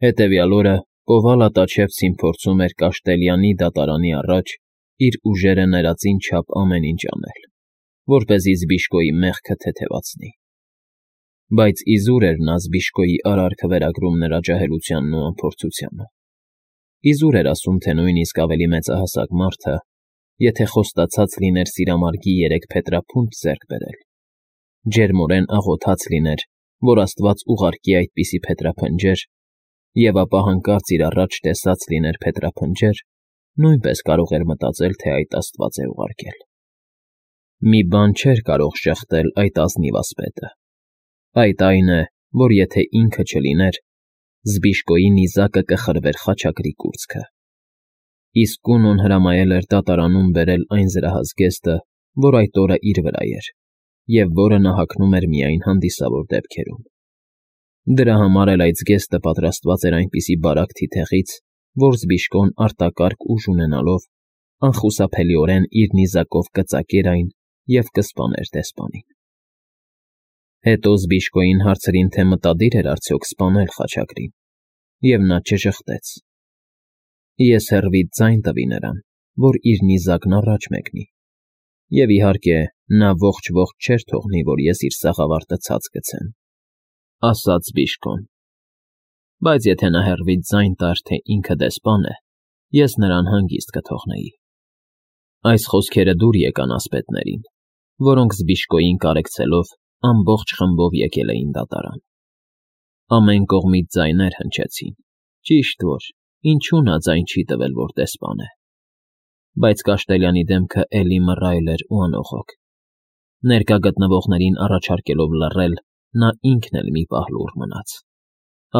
Հետևյալ օրը Կովալա-Տաչևցին փորձում էր Կաշտելյանի դատարանի առաջ իր ուժերը ներածին չափ ամեն ինչ անել, որպեսզի Զբիշկոյի մեղքը թեթևացնի։ Բայց իզուր էր նա Զբիշկոյի արարքը վերագրում նրա ջահելությանն ու անփորձությանը։ Իզուր էր ասում, թե նույնիսկ ավելի մեծահասակ մարդը, եթե խոստացած լիներ սիրամարգի 3 փետրափունջ ձեռք բերել, ջերմորեն աղոթած լիներ, որ Աստված ուղարկի այդպիսի փետրափնջեր, և ապա հանկարծ իր առաջ տեսած լիներ փետրափնջեր, նույնպես կարող էր մտածել, թե այդ Աստված է ուղարկել։ Մի բան չէր կարող շեղդել այդ ազնիվ ասպետը։ Այդ այն է, որ եթե ինքը չլիներ, Զբիշկոյի նիզակը կխրվեր խաչակրի կուրծքը։ Իսկ Կունոն հրամայել էր դատարանում բերել այն զրահազգեստը, որ այդ օրը իր վրա էր, և որը նա հագնում էր միայն հանդիսավոր դեպքերում։ Դրա համար էլ այդ զգեստը պատրաստված էր այնպիսի բարակ թիթեղից, որ Զբիշկոն արտակարգ ուժ ունենալով անխուսափելիորեն իր նիզակով կծակեր այն և կսպաներ դեսպանին։ Հետո Զբիշկոյին հարցրին, թե մտադիր էր արդյոք սպանել խաչակրին, և նա չժխտեց։ Ես հեռվից ձայն տվի նրան, որ իր նիզակն առաջ մեկնի, և իհարկե նա ողջ չէր թողնի, որ ես իր սաղավարտը ցած գցեմ, ասաց Զբիշկոն։ Բայց եթե նա հեռվից ձայն տար, թե ինքը դեսպան է, ես նրան հանգիստ կթողնեի։ Այս խոսքերը դուր եկան ասպետներին, որոնք Զբիշկոյին կարեկցելով ամբողջ խմբով եկել էին դատարան։ Ամեն կողմից ձայներ հնչեցին, ճիշտ որ, ինչու նա ձայն չի տվել, որ դեսպան է։ Բայց Կաշտելյանի դեմքը էլի մռայլ էր ու անողոք։ Ներկա գտնվողներին առաջարկելով լռել, նա ինքն էլ մի պահ լուռ մնաց,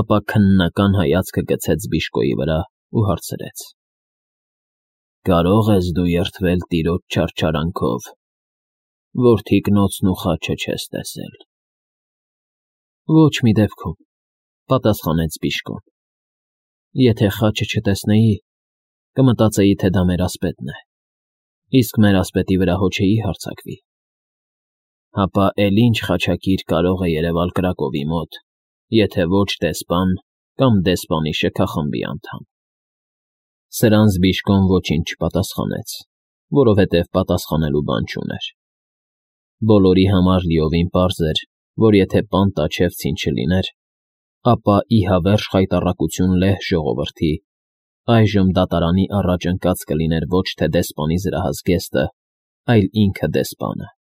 ապա քննական հայացքը գցեց Զբիշկոյի վրա ու հարցրեց. «Կարո՞ղ ես դու երդվել տիրոջ չարչարանքով, որ թիկնոցն ու խաչը չես տեսել»։ «Ոչ մի դեպքում», պատասխանեց Զբիշկոն։ «Եթե խաչը չտեսնեի, կմտածեի, թե դա մեր ասպետն է, իսկ մեր ասպետի վրա հո չէի հարձակվի։ Հապա էլ ինչ խաչակիր կարող է երևալ Կրակովի մոտ, եթե ոչ դեսպան կամ դեսպանի շքախմբի անդամ»։ Սրան Զբիշկոն ոչինչ չպատասխանեց, որովհետև պատասխանելու բան չուներ։ Բոլորի համար լիովին պարզ էր, որ եթե պան Տաչևցին չլիներ, ապա ի հավերժ խայտառակություն լեհ ժողովրդի, այժմ դատարանի առաջ ընկած կլիներ ոչ թե դեսպանի զրահազգեստը, այլ ինքը դեսպանը,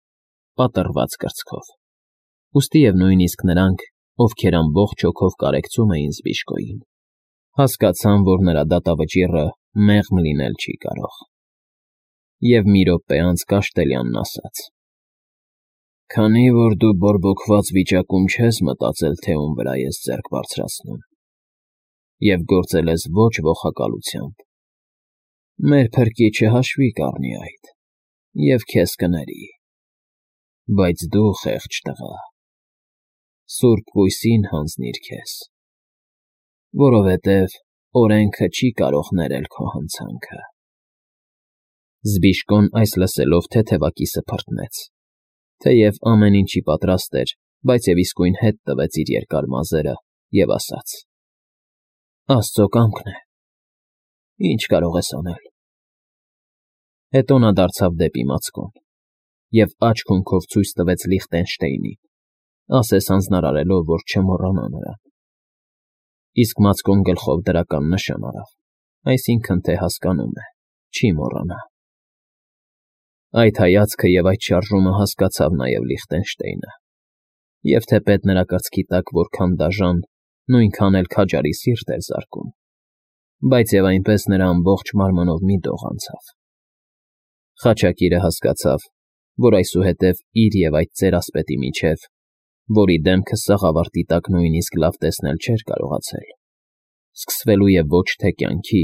պատռված կրծքով։ Ուստի և նույնիսկ նրանք, ովքեր ամբողջ հոգով կարեկցում էին Զբիշկոյին, հասկացան, որ նրա դատավճիռը մեղմ լինել չի կարող։ Եվ մի րոպե անց Կաշտելյանն ասաց. «Քանի որ դու բորբոքված վիճակում չես մտածել, թե ում վրա ես ձեռք բարձրացնում, և գործել ես ոչ վոխակալությամբ, մեր փրկիչը հաշվի կառնի այդ և քեզ կների։ Բայց դու, խեղճ տղա, Սուրբ Կույսին հանձնիր քեզ, որովհետև օրենքը չի կարող ներել քո հանցանքը»։ Զբիշկոն այս լսելով թեթևակիցը փռթնեց, թեև ամեն ինչի պատրաստ էր, բայց և իսկույն հետ տվեց իր երկար մազերը և ասաց. «Աստծո կամքն է, ինչ կարող ես անել»։ Հետո նա դարձավ դեպի Մացկոն և աջ հունքով ցույց տվեց Լիխտենշտեյնին, ասես հանձնարարելով, որ չմոռանա նրան։ Իսկ Մացկոն գլխով դրական նշան արավ, այսինքն թե հասկանում է, չի մոռանա։ Այդ հայացքը և այդ շարժումը հասկացավ նաև Լիխտենշտեյնը, և թեպետ նրա կրծքի տակ որքան դաժան, նույնքան էլ քաջարի սիրտ էր զարկում, բայց և այնպես նրա ամբողջ մարմնով մի դող անցավ։ Խաչակիրը հասկացավ, որ այսուհետև իր և այդ ծեր ասպետի միջև, որի դեմքը սաղավարտի տակ նույնիսկ լավ տեսնել չէր կարողացել, սկսվելու է ոչ թե կյանքի,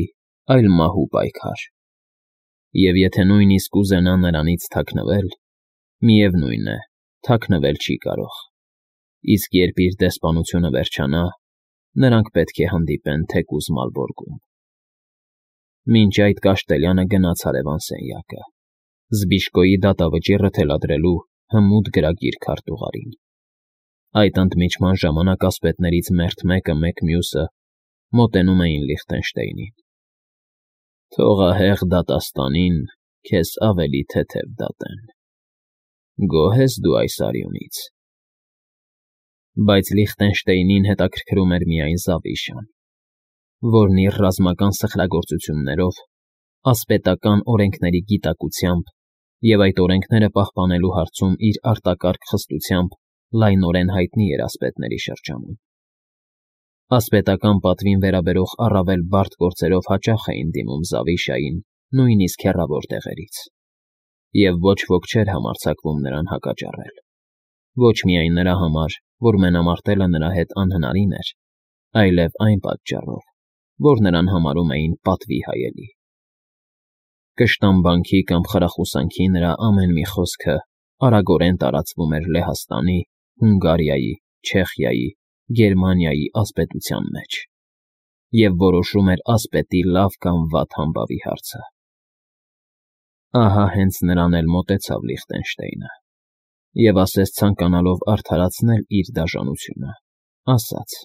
այլ մահու պայքար։ Եվ եթե նույնիսկ ուզենա նրանից թաքնվել, միևնույն է, թաքնվել չի կարող, իսկ երբ իր դեսպանությունը վերջանա, նրանք պետք է հանդիպեն թեկուզ Մալբորգում։ Մինչ այդ Կաշտելյանը գնաց հարևան սենյակը, Զբիշկոյի դատավճիռը թելադրելու հմուտ գրագիր քարտուղարին։ Այդ ընդմիջման ժամանակ ասպետներից մերթ մեկը մեկ մյուսը մոտենում էին Լիխտենշտեյնին։ Թողահեղ դատաստանին քեզ ավելի թեթև դատեն։ Գոհ ես դու այս արյունից։ Բայց Լիխտենշտեյնին հետաքրքրում էր միայն Զավիշան, որն իր ռազմական սխրագործություններով, ասպետական օրենքների գիտակցությամբ և այդ օրենքները պահպանելու հարցում իր արտակարգ խստությամբ լայնորեն հայտնի էր ասպետների շրջանում։ Ասպետական պատվին վերաբերող առավել բարդ գործերով հաճախ էին դիմում Զավիշային նույնիսկ հեռավոր տեղերից, և ոչ ոք չէր համարձակվում նրան հակաճառել, ոչ միայն նրա համար, որ մենամարտելը նրա հետ անհնարին էր, այլև այն պատճառով, որ նրան համարում էին պատվի հայելի։ Կշտամբանքի կամ խրախուսանքի նրա ամեն մի խոսքը արագորեն տարածվում էր Լեհաստանի, Հունգարիայի, Չեխիայի, Գերմանիայի ասպետության մեջ և որոշում էր ասպետի լավ կամ վատ համբավի հարցը։ Ահա հենց նրան էլ մոտեցավ Լիխտենշտեյնը և ասես ցանկանալով արդարացնել իր դաժանությունը, ասաց.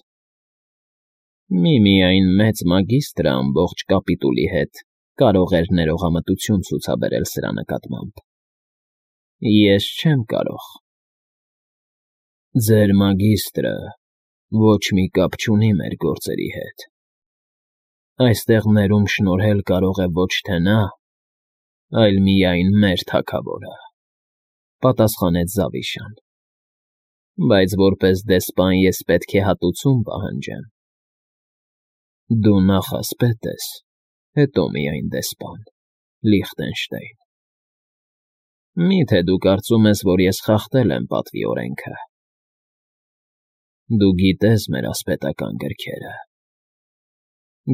«Միմիայն մեծ մագիստրը ամբողջ կապիտուլի հետ կարող էր ներողամտություն ցուցաբերել սրա նկատմամբ։ Ես չեմ կարող»։ Ձեր մագիստրը ոչ մի կապ չունի մեր գործերի հետ։ Այստեղ ներում շնորհել կարող է ոչ թե նա, այլ միայն մեր թագավորը, պատասխանեց Զավիշան։ Բայց որպես դեսպան ես պետք է հատուցում պահանջեմ։ Դու նախ ասպետ ես, հետո միայն դեսպան, Լիխտենշտեյն։ Մի՞թե դու կարծում ես, որ ես խախտել եմ պատվի օրենքը։ Դու գիտես մեր ասպետական գրքերը։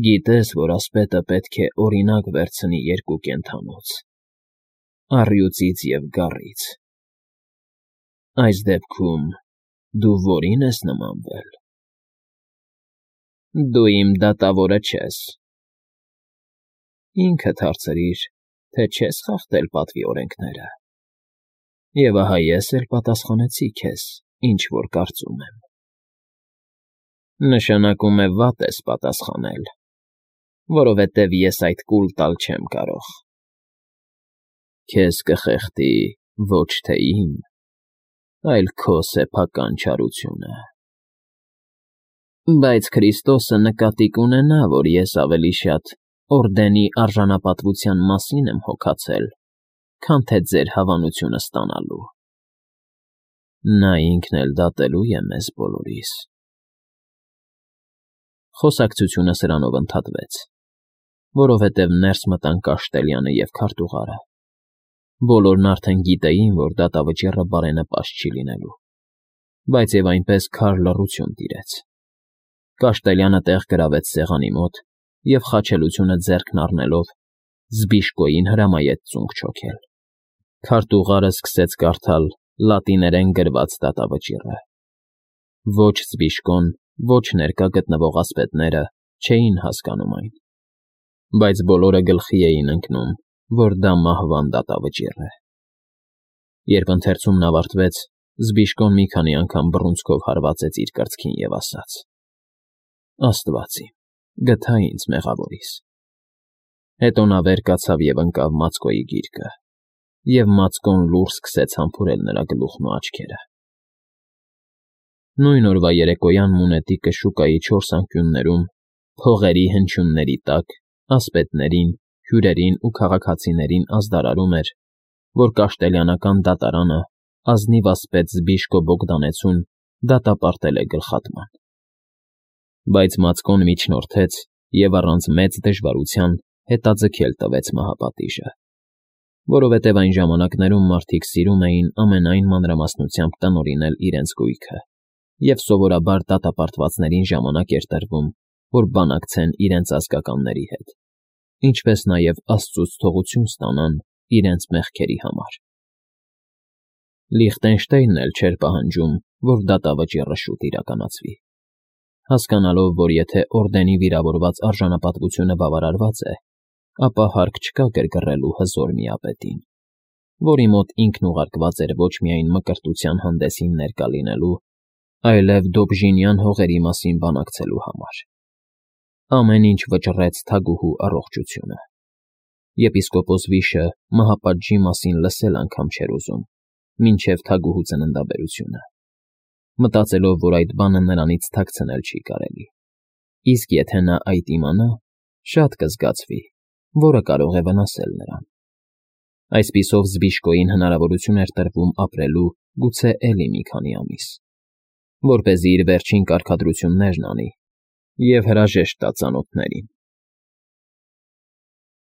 Գիտես, որ ասպետը պետք է օրինակ վերցնի երկու կենդանուց՝ առյուծից և գառից։ Այս դեպքում դու որի՞ն ես նմանվել։ Դու իմ դատավորը չես։ Ինքդ հարցրիր, թե չես խախտել պատվի օրենքները, և ահա ես էլ պատասխանեցի քեզ, ինչ որ կարծում եմ։ Նշանակում է վատ ես պատասխանել, որովհետև ես այդ կուլ տալ չեմ կարող։ Քեզ կխեղդի ոչ թե իմ, այլ քո սեփական չարությունը։ Բայց Քրիստոսը նկատի կունենա, որ ես ավելի շատ օրդենի արժանապատվության մասին եմ հոգացել, քան թե ձեր հավանությունը ստանալու։ Նա ինքն էլ դատելու է մեզ բոլորիս։ Խոսակցությունը սրանով ընդհատվեց, որովհետև ներս մտան Կաշտելյանը և քարտուղարը։ Բոլորն արդեն գիտեին, որ դատավճիռը բարենպաստ չի լինելու, բայց և այնպես քար լռություն տիրեց։ Կաշտելյանը տեղ գրավեց սեղանի մոտ և, խաչելությունը ձեռքն առնելով, Զբիշկոյին հրամայեց ծունկ չոքել։ Քարտուղարը սկսեց կարդալ լատիներեն գրված դատավճիռը։ Ոչ Զբիշկոն, ոչ ներկա գտնվող ասպետները չէին հասկանում այն, բայց բոլորը գլխի էին ընկնում, որ դա մահվան դատավճիռ է։ Երբ ընթերցումն ավարտվեց, Զբիշկոն մի քանի անգամ բռունցքով հարվածեց իր կրծքին և ասաց. «Աստված իմ, գթա ինձ մեղավորիս»։ Հետո նա վեր կացավ և ընկավ Մացկոյի գիրկը, և Մացկոն լուռ սկսեց համբուրել նրա գլուխն ու աչքերը։ Նույն օրվա երեկոյան Մունետիկը շուկայի չորս անկյուններում, փողերի հնչյունների տակ, ասպետներին, հյուրերին ու քաղաքացիներին ազդարարում էր, որ կաշտելյանական դատարանը ազնիվ ասպետ Զբիշկո Բոգդանեցուն դատապարտել է գլխատման։ Բայց Մացկոն միջնորդեց և առանց մեծ դժվարության հետաձգել տվեց մահապատիժը, որովհետև այն ժամանակներում մարդիկ սիրում էին ամենայն մանրամասնությամբ տնօրինել իրենց գույքը, և սովորաբար դատապարտվածներին ժամանակ էր տրվում, որ բանակցեն իրենց ազգականների հետ, ինչպես նաև Աստծուց թողություն ստանան իրենց մեղքերի համար։ Լիխտենշտեյնն էլ չէր պահանջում, որ դատավճիռը շուտ իրականացվի, հասկանալով, որ եթե օրդենի վիրավորված արժանապատվությունը բավարարված է, ապա հարկ չկա գրգռելու հզոր միապետին, որի մոտ ինքն ուղարկված էր ոչ միայն մկրտության հանդեսին ներկա լինելու, այլև Դոբժինյան հողերի մասին բանակցելու համար։ Ամեն ինչ վճռեց թագուհու առողջությունը։ Եպիսկոպոս Վիշը մահապատժի մասին լսել անգամ չէր ուզում, մինչև թագուհու ծննդաբերությունը, մտածելով, որ այդ բանը նրանից թաքցնել չի կարելի, իսկ եթե նա այդ իմանա, շատ կզգացվի, որը կարող է վնասել նրան։ Այսպիսով Զբիշկոյին հնարավորություն էր տրվում ապրելու գուցե էլի մի քանի ամիս, որպեսզի իր վերջին կարգադրություններն անի և հրաժեշտ տա ծանոթներին։